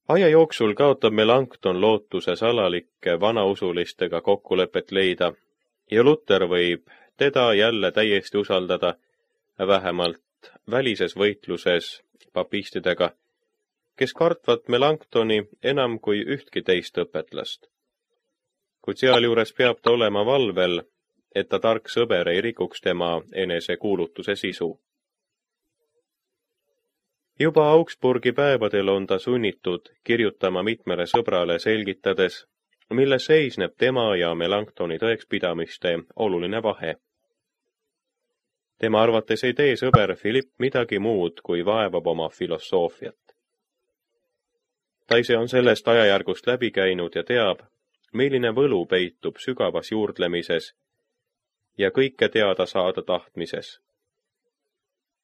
Aja jooksul kaotab Melanchthon lootuse salalike vanausulistega kokkulepet leida ja Luther võib teda jälle täiesti usaldada, vähemalt välises võitluses papistidega, kes kartvad Melanchthoni enam kui ühtki teist õpetlast. Kuid sealjuures peab ta olema valvel, et ta tark sõber ei rikuks tema enesekuulutuse sisu. Juba Augsburgi päevadel on ta sunnitud kirjutama mitmele sõbrale selgitades, milles seisneb tema ja Melanchthoni tõekspidamiste oluline vahe. Tema arvates ei tee sõber Philipp midagi muud, kui vaevab oma filosoofiat. Ta ise on sellest ajajärgust läbi käinud ja teab, milline võlu peitub sügavas juurdlemises ja kõike teada saada tahtmises.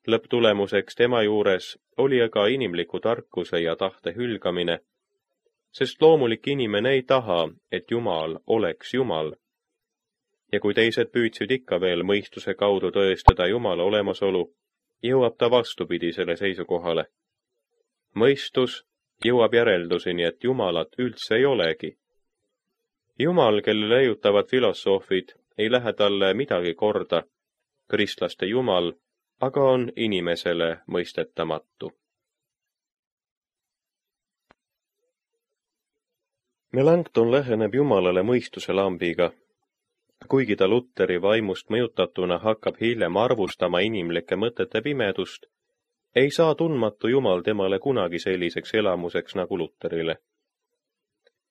Lõpptulemuseks tema juures oli aga inimliku tarkuse ja tahte hülgamine, sest loomulik inimene ei taha, et Jumal oleks Jumal. Ja kui teised püüdsid ikka veel mõistuse kaudu tõestada Jumala olemasolu, jõuab ta vastupidisele seisukohale. Mõistus jõuab järelduseni, et Jumalat üldse ei olegi. Jumal, kelle leiutavad filosoofid, ei lähe talle midagi korda, kristlaste Jumal, aga on inimesele mõistetamatu. Melanchthon läheneb Jumalale mõistuse lambiga, kuigi ta Lutheri vaimust mõjutatuna hakkab hiljem arvustama inimlike mõtete pimedust, ei saa tundmatu Jumal temale kunagi selliseks elamuseks nagu Lutherile.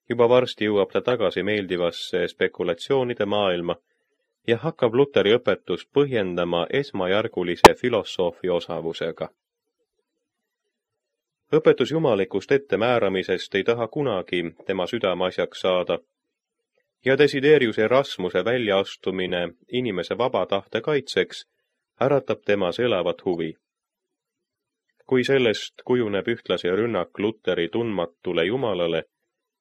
Juba varsti jõuab ta tagasi meeldivasse spekulatsioonide maailma ja hakkab Lutheri õpetust põhjendama esmajärgulise filosoofi osavusega. Õpetus jumalikust ettemääramisest ei taha kunagi tema südameasjaks saada ja Desiderius Erasmuse väljaastumine inimese vaba tahte kaitseks äratab temas elavat huvi. Kui sellest kujuneb ühtlasi rünnak Lutheri tundmatule Jumalale,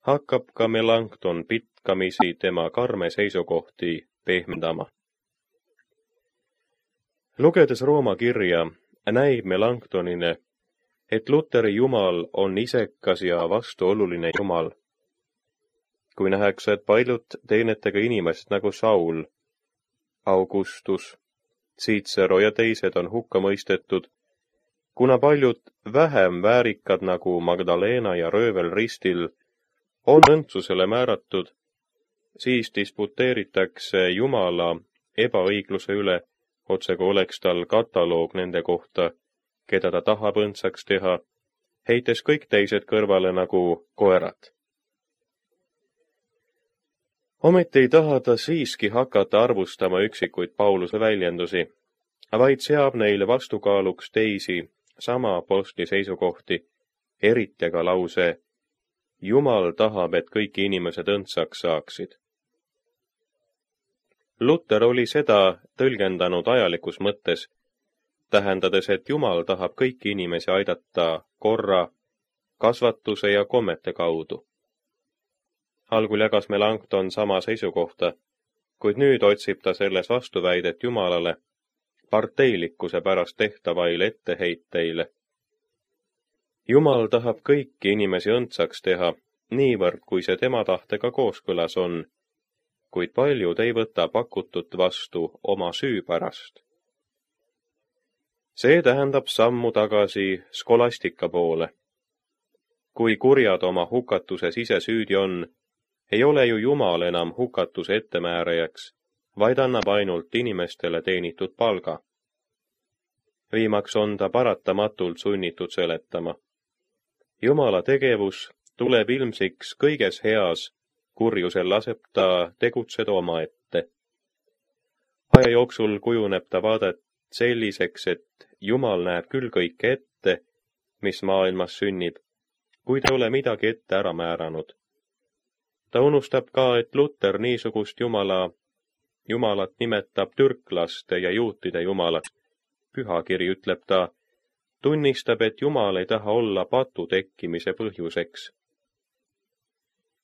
hakkab ka Melanchthon pitkamisi tema karme seisukohti pehmendama. Lugedes Rooma kirja, näib Melanchthonile, et Lutheri Jumal on isekas ja vastuoluline Jumal. Kui nähakse, et paljud teenetega inimesed nagu Saul, Augustus, Cicero ja teised on hukka mõistetud, kuna paljud vähem väärikad nagu Magdalena ja röövel ristil on õndsusele määratud, siis disputeeritakse Jumala ebaõigluse üle, otsegu oleks tal kataloog nende kohta, keda ta tahab õndsaks teha, heites kõik teised kõrvale nagu koerad. Ometi ei taha ta siiski hakata arvustama üksikuid Pauluse väljendusi, vaid seab neile vastukaaluks teisi sama apostli seisukohti, eriti aga lause Jumal tahab, et kõik inimesed õndsaks saaksid. Luther oli seda tõlgendanud ajalikus mõttes, tähendades, et Jumal tahab kõiki inimesi aidata korra, kasvatuse ja kommete kaudu. Algul jagas Melanchthon sama seisukohta, kuid nüüd otsib ta selles vastuväidet Jumalale parteilikkuse pärast tehtavaile etteheiteile. Jumal tahab kõiki inimesi õndsaks teha, niivõrd kui see tema tahtega kooskõlas on, kuid paljud ei võta pakutut vastu oma süü pärast. See tähendab sammu tagasi skolastika poole. Kui kurjad oma hukatuses ise süüdi on, ei ole ju Jumal enam hukatuse ettemäärajaks, vaid annab ainult inimestele teenitud palga. Viimaks on ta paratamatult sunnitud seletama. Jumala tegevus tuleb ilmsiks kõiges heas, kurjusel laseb ta tegutseda omaette. Aja jooksul kujuneb ta vaadet selliseks, et Jumal näeb küll kõike ette, mis maailmas sünnib, kuid ei ole midagi ette ära määranud. Ta unustab ka, et Luther niisugust Jumalat nimetab türklaste ja juutide Jumalaks. Pühakiri ütleb ta, tunnistab, et Jumal ei taha olla patu tekkimise põhjuseks.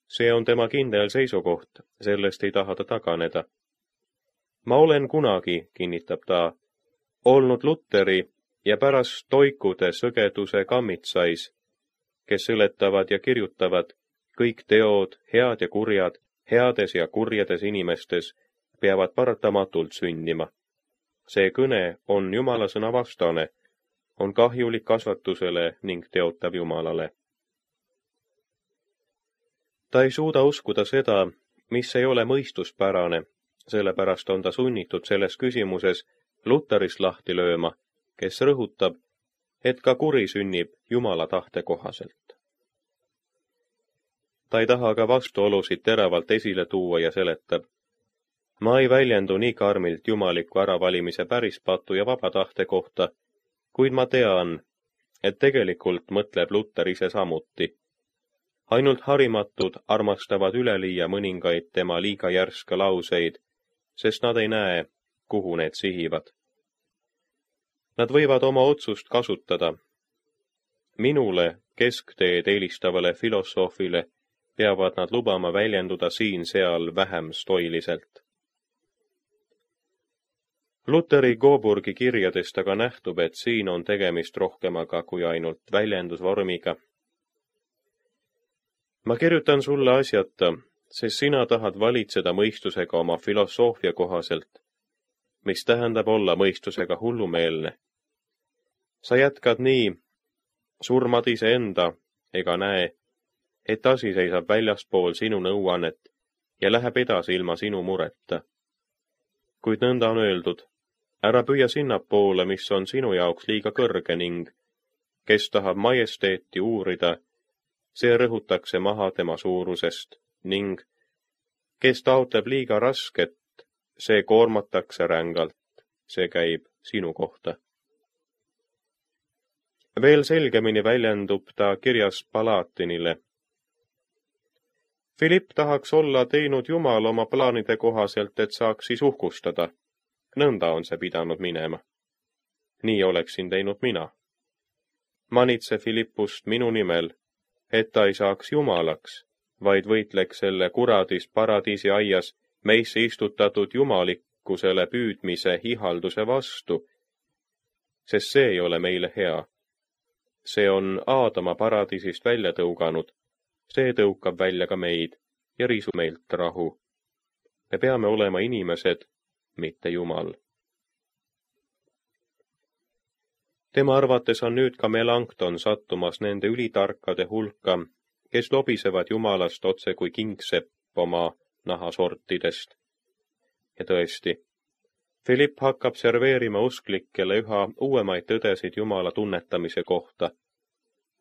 See on tema kindel seisukoht, sellest ei taha ta taganeda. Ma olen kunagi, kinnitab ta, olnud Lutheri ja pärast toikude sõgeduse kammitsais, kes seletavad ja kirjutavad, kõik teod, head ja kurjad, heades ja kurjades inimestes, peavad paratamatult sündima. See kõne on Jumala sõna vastane, on kahjulik kasvatusele ning teotab Jumalale. Ta ei suuda uskuda seda, mis ei ole mõistuspärane, sellepärast on ta sunnitud selles küsimuses Luterist lahti lööma, kes rõhutab, et ka kuri sünnib Jumala tahte kohaselt. Ta ei taha ka vastuolusid teravalt esile tuua ja seletab, ma ei väljendu nii karmilt jumaliku äravalimise pärispatu ja vaba tahte kohta, kuid ma tean, et tegelikult mõtleb Luter ise samuti. Ainult harimatud armastavad üleliia mõningaid tema liiga järska lauseid, sest nad ei näe, kuhu need sihivad. Nad võivad oma otsust kasutada. Minule, keskteed eelistavale filosoofile, peavad nad lubama väljenduda siin-seal vähem stoiliselt. Luteri Coburgi kirjadest aga nähtub, et siin on tegemist rohkemaga kui ainult väljendusvormiga. Ma kirjutan sulle asjata, sest sina tahad valitseda mõistusega oma filosoofia kohaselt, mis tähendab olla mõistusega hullumeelne. Sa jätkad nii, surmad iseenda ega näe, et asi seisab väljaspool sinu nõuannet ja läheb edasi ilma sinu mureta. Kuid nõnda on öeldud, ära püüa sinnapoole, mis on sinu jaoks liiga kõrge ning, kes tahab majesteeti uurida, see rõhutakse maha tema suurusest ning, kes taotleb liiga rasket, see koormatakse rängalt, see käib sinu kohta. Veel selgemini väljendub ta kirjas Palatinile. Philipp tahaks olla teinud Jumal oma plaanide kohaselt, et saaks siis uhkustada. Nõnda on see pidanud minema. Nii oleksin teinud mina. Manitse Philippust minu nimel, et ta ei saaks jumalaks, vaid võitleks selle kuradis paradiisi aias meisse istutatud jumalikkusele püüdmise ihalduse vastu, sest see ei ole meile hea. See on Aadama paradiisist välja tõuganud, see tõukab välja ka meid ja riisub meilt rahu. Me peame olema inimesed, mitte Jumal. Tema arvates on nüüd ka Melanchthon sattumas nende ülitarkade hulka, kes lobisevad Jumalast otse kui kingsepp oma nahasortidest. Ja tõesti, Philipp hakkab serveerima usklikele üha uuemaid tõdesid Jumala tunnetamise kohta.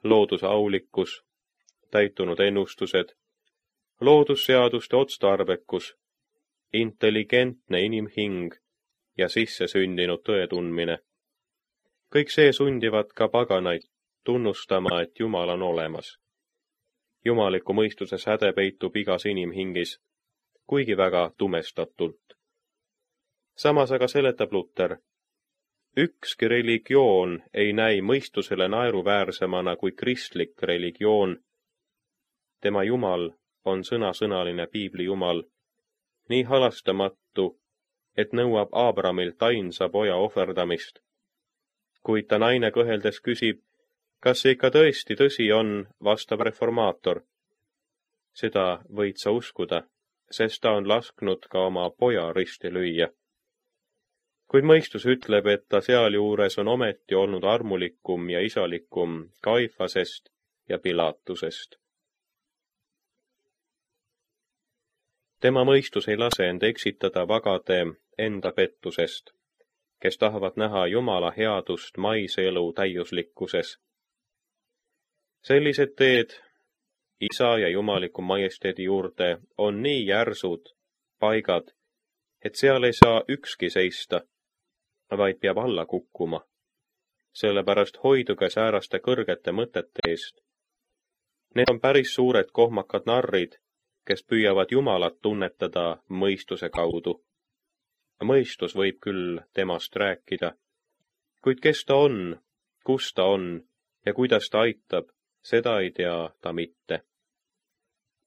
Looduse aulikkus, täitunud ennustused, loodusseaduste otstarbekus, intelligentne inimhing ja sisse sündinud tõe tundmine. Kõik see sundivad ka paganaid tunnustama, et Jumal on olemas. Jumaliku mõistuse säde peitub igas inimhingis, kuigi väga tumestatult. Samas aga seletab Luter, ükski religioon ei näi mõistusele naeruväärsemana kui kristlik religioon. Tema Jumal on sõnasõnaline piibli Jumal, nii halastamatu, et nõuab Aabramilt ainsa poja ohverdamist. Kuid ta naine kõheldes küsib, kas see ikka tõesti tõsi on, vastab reformaator. Seda võid sa uskuda, sest ta on lasknud ka oma poja risti lüüa. Kuid mõistus ütleb, et ta sealjuures on ometi olnud armulikum ja isalikum Kaifasest ja Pilatusest. Tema mõistus ei lase end eksitada vagade enda pettusest, kes tahavad näha Jumala headust maise elu täiuslikkuses. Sellised teed Isa ja Jumaliku majesteedi juurde on nii järsud paigad, et seal ei saa ükski seista, vaid peab alla kukkuma. Sellepärast hoiduge sääraste kõrgete mõtete eest. Need on päris suured kohmakad narrid, kes püüavad Jumalat tunnetada mõistuse kaudu. Mõistus võib küll temast rääkida, kuid kes ta on, kus ta on ja kuidas ta aitab, seda ei tea ta mitte.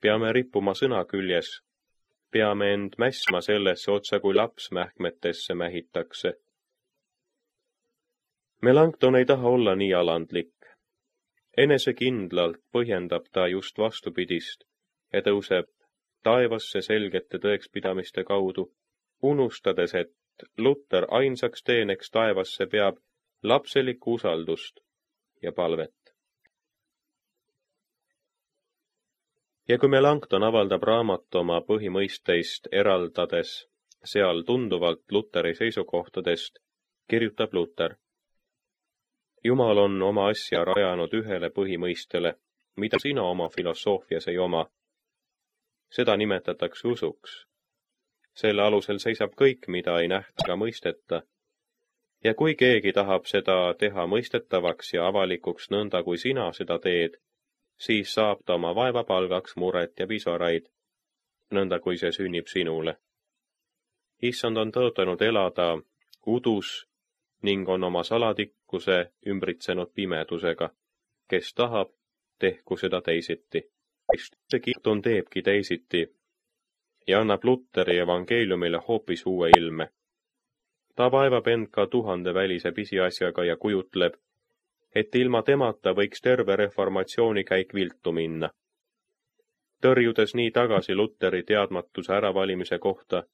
Peame rippuma sõna küljes, peame end mässma sellesse otsa kui laps mähkmetesse mähitakse. Melanchthon ei taha olla nii alandlik. Enesekindlalt põhjendab ta just vastupidist ja tõuseb taevasse selgete tõekspidamiste kaudu, unustades, et Luter ainsaks teeneks taevasse peab lapselikku usaldust ja palvet. Ja kui Melanchthon avaldab raamat oma põhimõisteist eraldades seal tunduvalt Luteri seisukohtadest, kirjutab Luter: Jumal on oma asja rajanud ühele põhimõistele, mida sina oma filosoofias ei oma. Seda nimetatakse usuks. Selle alusel seisab kõik, mida ei nähta ega mõisteta. Ja kui keegi tahab seda teha mõistetavaks ja avalikuks nõnda, kui sina seda teed, siis saab ta oma vaevapalgaks muret ja pisaraid, nõnda kui see sünnib sinule. Issand on tõotanud elada udus ning on oma salatikkuse ümbritsenud pimedusega. Kes tahab, tehku seda teisiti. See Melanchthon teebki teisiti ja annab Luteri evangeeliumile hoopis uue ilme. Ta vaevab end ka 1000 välise pisiasjaga ja kujutleb, et ilma temata võiks terve reformatsioonikäik viltu minna. Tõrjudes nii tagasi Luteri teadmatuse äravalimise kohta,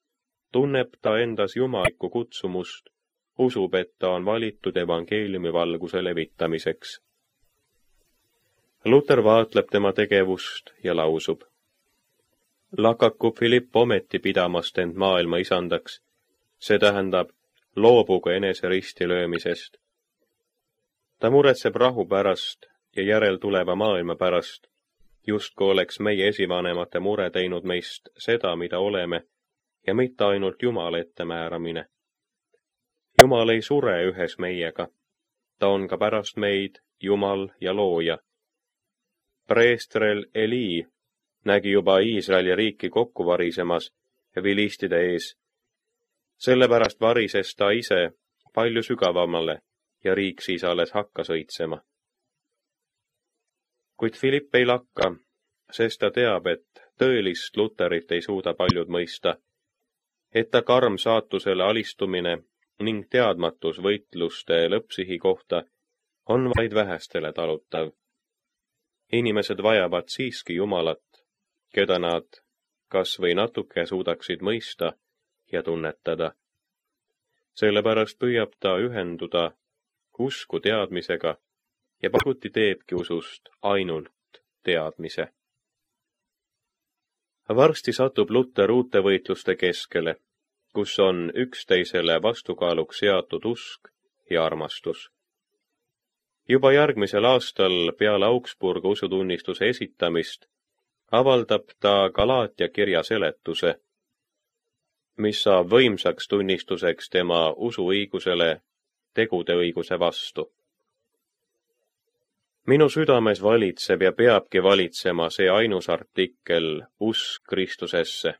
tunneb ta endas jumalikku kutsumust, usub, et ta on valitud evangeeliumi valguse levitamiseks. Luter vaatleb tema tegevust ja lausub: Lakaku Philipp ometi pidamast end maailma isandaks, see tähendab, loobugu enese ristilöömisest. Ta muretseb rahu pärast ja järeltuleva maailma pärast, justku oleks meie esivanemate mure teinud meist seda, mida oleme, ja mitte ainult Jumala ettemääramine. Jumal ei sure ühes meiega, ta on ka pärast meid Jumal ja looja. Preestrel Eli nägi juba Iisraeli riiki kokku varisemas vilistide ees. Sellepärast varises ta ise palju sügavamale ja riik siis alles hakkas õitsema. Kuid Philipp ei lakka, sest ta teab, et tõelist Luterit ei suuda paljud mõista, et ta karm saatusele alistumine ning teadmatus võitluste lõppsihi kohta on vaid vähestele talutav. Inimesed vajavad siiski Jumalat, keda nad kas või natuke suudaksid mõista ja tunnetada. Sellepärast püüab ta ühenduda usku teadmisega ja paguti teebki usust ainult teadmise. Varsti satub Luter uute võitluste keskele, kus on üksteisele vastukaaluks seatud usk ja armastus. Juba järgmisel aastal peale Augsburga usutunnistuse esitamist avaldab ta Galaatia kirja seletuse, mis saab võimsaks tunnistuseks tema usuõigusele tegude õiguse vastu. Minu südames valitseb ja peabki valitsema see ainus artikkel usk Kristusesse.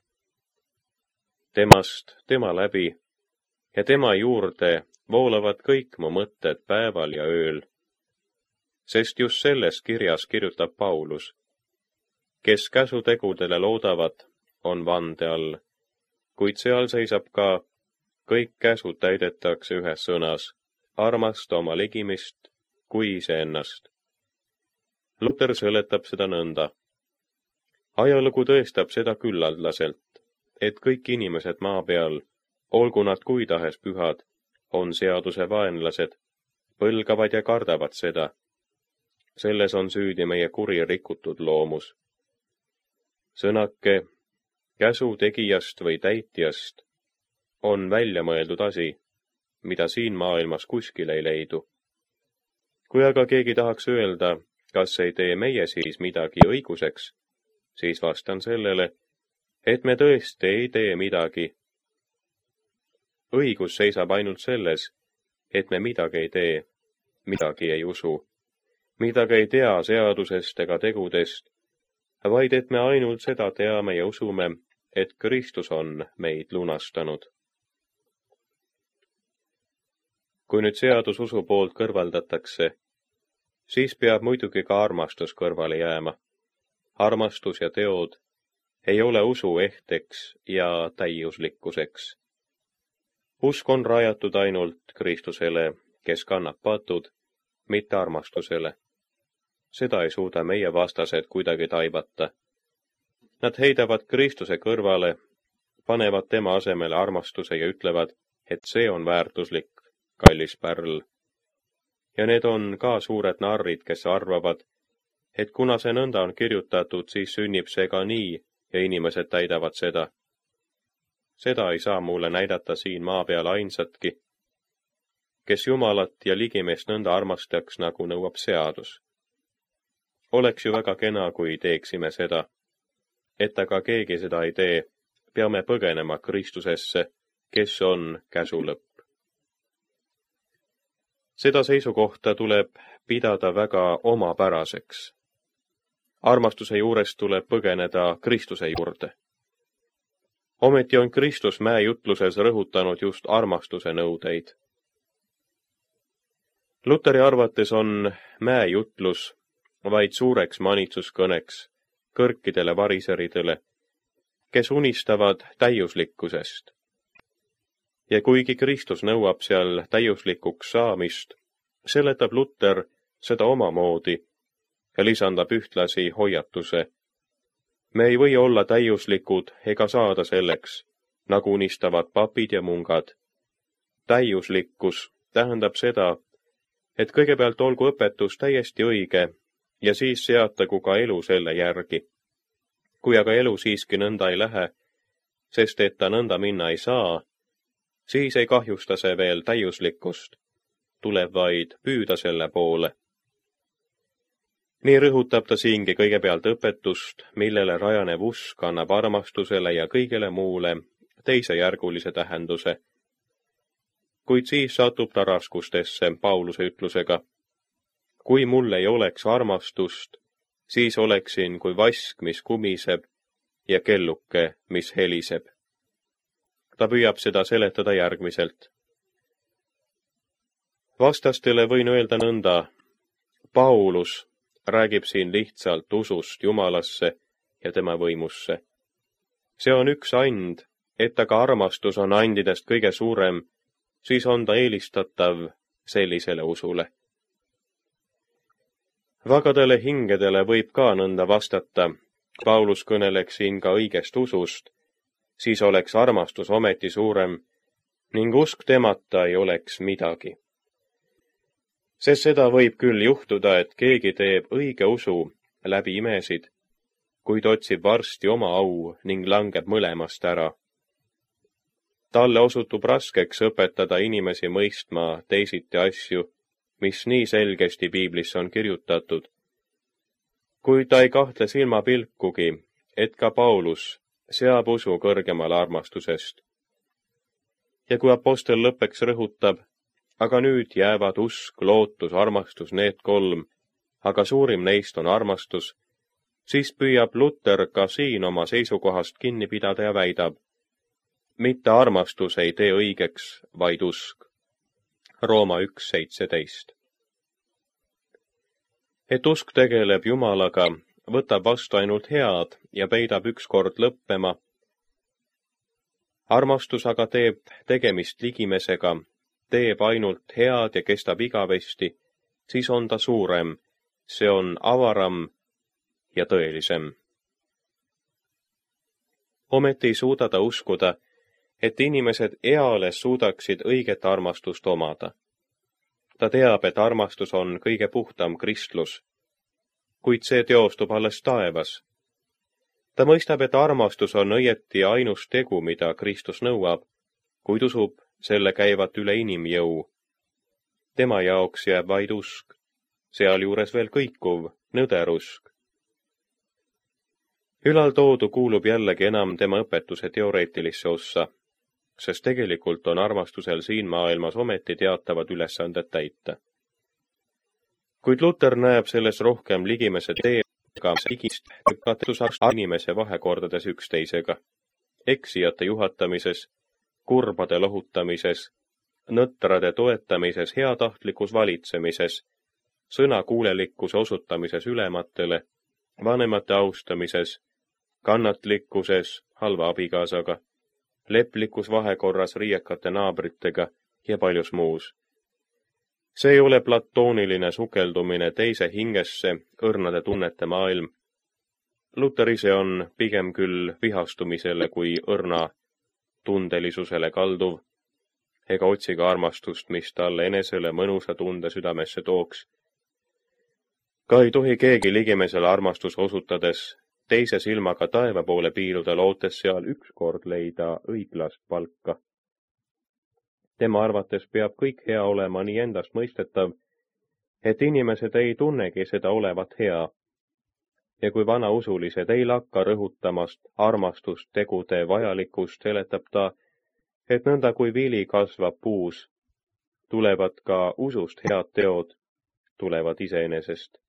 Temast, tema läbi ja tema juurde voolavad kõik mu mõtted päeval ja ööl. Sest just selles kirjas kirjutab Paulus: kes käsutegudele loodavad, on vande all, kuid seal seisab ka: kõik käsud täidetakse ühes sõnas, armasta oma ligimist kui iseennast. Luter seletab seda nõnda. Ajalugu tõestab seda küllaldaselt, et kõik inimesed maa peal, olgu nad kui tahes pühad, on seaduse vaenlased, põlgavad ja kardavad seda. Selles on süüdi meie kuri rikutud loomus. Sõnake käsu tegijast või täitjast on välja mõeldud asi, mida siin maailmas kuskil ei leidu. Kui aga keegi tahaks öelda, kas ei tee meie siis midagi õiguseks, siis vastan sellele, et me tõesti ei tee midagi. Õigus seisab ainult selles, et me midagi ei tee, midagi ei usu, midagi ei tea seadusest ega tegudest, vaid et me ainult seda teame ja usume, et Kristus on meid lunastanud. Kui nüüd seadus usu poolt kõrvaldatakse, siis peab muidugi ka armastus kõrvale jääma. Armastus ja teod ei ole usu ehteks ja täiuslikkuseks. Usk on rajatud ainult Kristusele, kes kannab patud, mitte armastusele. seda ei suuda meie vastased kuidagi taibata. Nad heidavad Kristuse kõrvale, panevad tema asemele armastuse ja ütlevad, et see on väärtuslik, kallis pärl. Ja need on ka suured narrid, kes arvavad, et kuna see nõnda on kirjutatud, siis sünnib see ka nii ja inimesed täidavad seda. Seda ei saa mulle näidata siin maa peal ainsatki, kes Jumalat ja ligimeest nõnda armastaks, nagu nõuab seadus. Oleks ju väga kena, kui teeksime seda. Et aga keegi seda ei tee, peame põgenema Kristusesse, kes on käsu lõpp. Seda seisukohta tuleb pidada väga omapäraseks. Armastuse juurest tuleb põgeneda Kristuse juurde. Ometi on Kristus mäejutluses rõhutanud just armastuse nõudeid. Luteri arvates on mäejutlus vaid suureks manitsuskõneks kõrkidele variseridele, kes unistavad täiuslikkusest. Ja kuigi Kristus nõuab seal täiuslikuks saamist, seletab Luter seda omamoodi ja lisandab ühtlasi hoiatuse. Me ei või olla täiuslikud ega saada selleks, nagu unistavad papid ja mungad. Täiuslikkus tähendab seda, et kõigepealt olgu õpetus täiesti õige ja siis seatagu ka elu selle järgi. Kui aga elu siiski nõnda ei lähe, sest et ta nõnda minna ei saa, siis ei kahjusta see veel täiuslikkust, tuleb vaid püüda selle poole. Nii rõhutab ta siingi kõigepealt õpetust, millele rajanev usk annab armastusele ja kõigele muule teisejärgulise tähenduse. Kuid siis satub ta raskustesse Pauluse ütlusega. Kui mul ei oleks armastust, siis oleksin kui vask, mis kumiseb, ja kelluke, mis heliseb. Ta püüab seda seletada järgmiselt. Vastastele võin öelda nõnda, Paulus räägib siin lihtsalt usust Jumalasse ja tema võimusse. See on üks and, et aga armastus on andidest kõige suurem, siis on ta eelistatav sellisele usule. Vagadele hingedele võib ka nõnda vastata, Paulus kõneleks siin ka õigest usust, siis oleks armastus ometi suurem ning usk temata ei oleks midagi. Sest seda võib küll juhtuda, et keegi teeb õige usu läbi imesid, kuid otsib varsti oma au ning langeb mõlemast ära. Talle osutub raskeks õpetada inimesi mõistma teisiti asju, mis nii selgesti piiblisse on kirjutatud. Kuid ta ei kahtle silmapilkugi, et ka Paulus seab usu kõrgemale armastusest. Ja kui apostel lõppeks rõhutab, aga nüüd jäävad usk, lootus, armastus, need kolm, aga suurim neist on armastus, siis püüab Luter ka siin oma seisukohast kinni pidada ja väidab, mitte armastus ei tee õigeks, vaid usk. Rooma 1:17. Et usk tegeleb Jumalaga, võtab vastu ainult head ja peidab ükskord lõppema. Armastus aga teeb tegemist ligimesega, teeb ainult head ja kestab igavesti, siis on ta suurem, see on avaram ja tõelisem. Ometi ei suuda ta uskuda, et inimesed eales suudaksid õiget armastust omada. Ta teab, et armastus on kõige puhtam kristlus, kuid see teostub alles taevas. Ta mõistab, et armastus on õieti ainus tegu, mida Kristus nõuab, kuid usub selle käivat üle inimjõu. Tema jaoks jääb vaid usk, sealjuures veel kõikuv, nõder usk. Ülaltoodu kuulub jällegi enam tema õpetuse teoreetilisse ossa, sest tegelikult on armastusel siin maailmas ometi teatavad ülesanded täita. Kuid Luter näeb selles rohkem ligimese teega ligist katusaks inimese vahekordades üksteisega, eksijate juhatamises, kurbade lohutamises, nõtrade toetamises, heatahtlikus valitsemises, sõnakuulelikkuse osutamises ülematele, vanemate austamises, kannatlikkuses halva abikaasaga, leplikus vahekorras riiekate naabritega ja paljus muus. See ei ole platooniline sukeldumine teise hingesse, õrnade tunnete maailm. Luter ise on pigem küll vihastumisele kui õrna tundelisusele kalduv, ega otsi ka armastust, mis talle enesele mõnusa tunde südamesse tooks. Ka ei tohi keegi ligimesele armastuse osutades teise silmaga taeva poole piiluda, lootes seal ükskord leida õiglast palka. Tema arvates peab kõik hea olema nii endastmõistetav, et inimesed ei tunnegi seda olevat hea. Ja kui vanausulised ei lakka rõhutamast armastust tegude vajalikkust, seletab ta, et nõnda kui vili kasvab puus, tulevad ka usust head teod, tulevad iseenesest.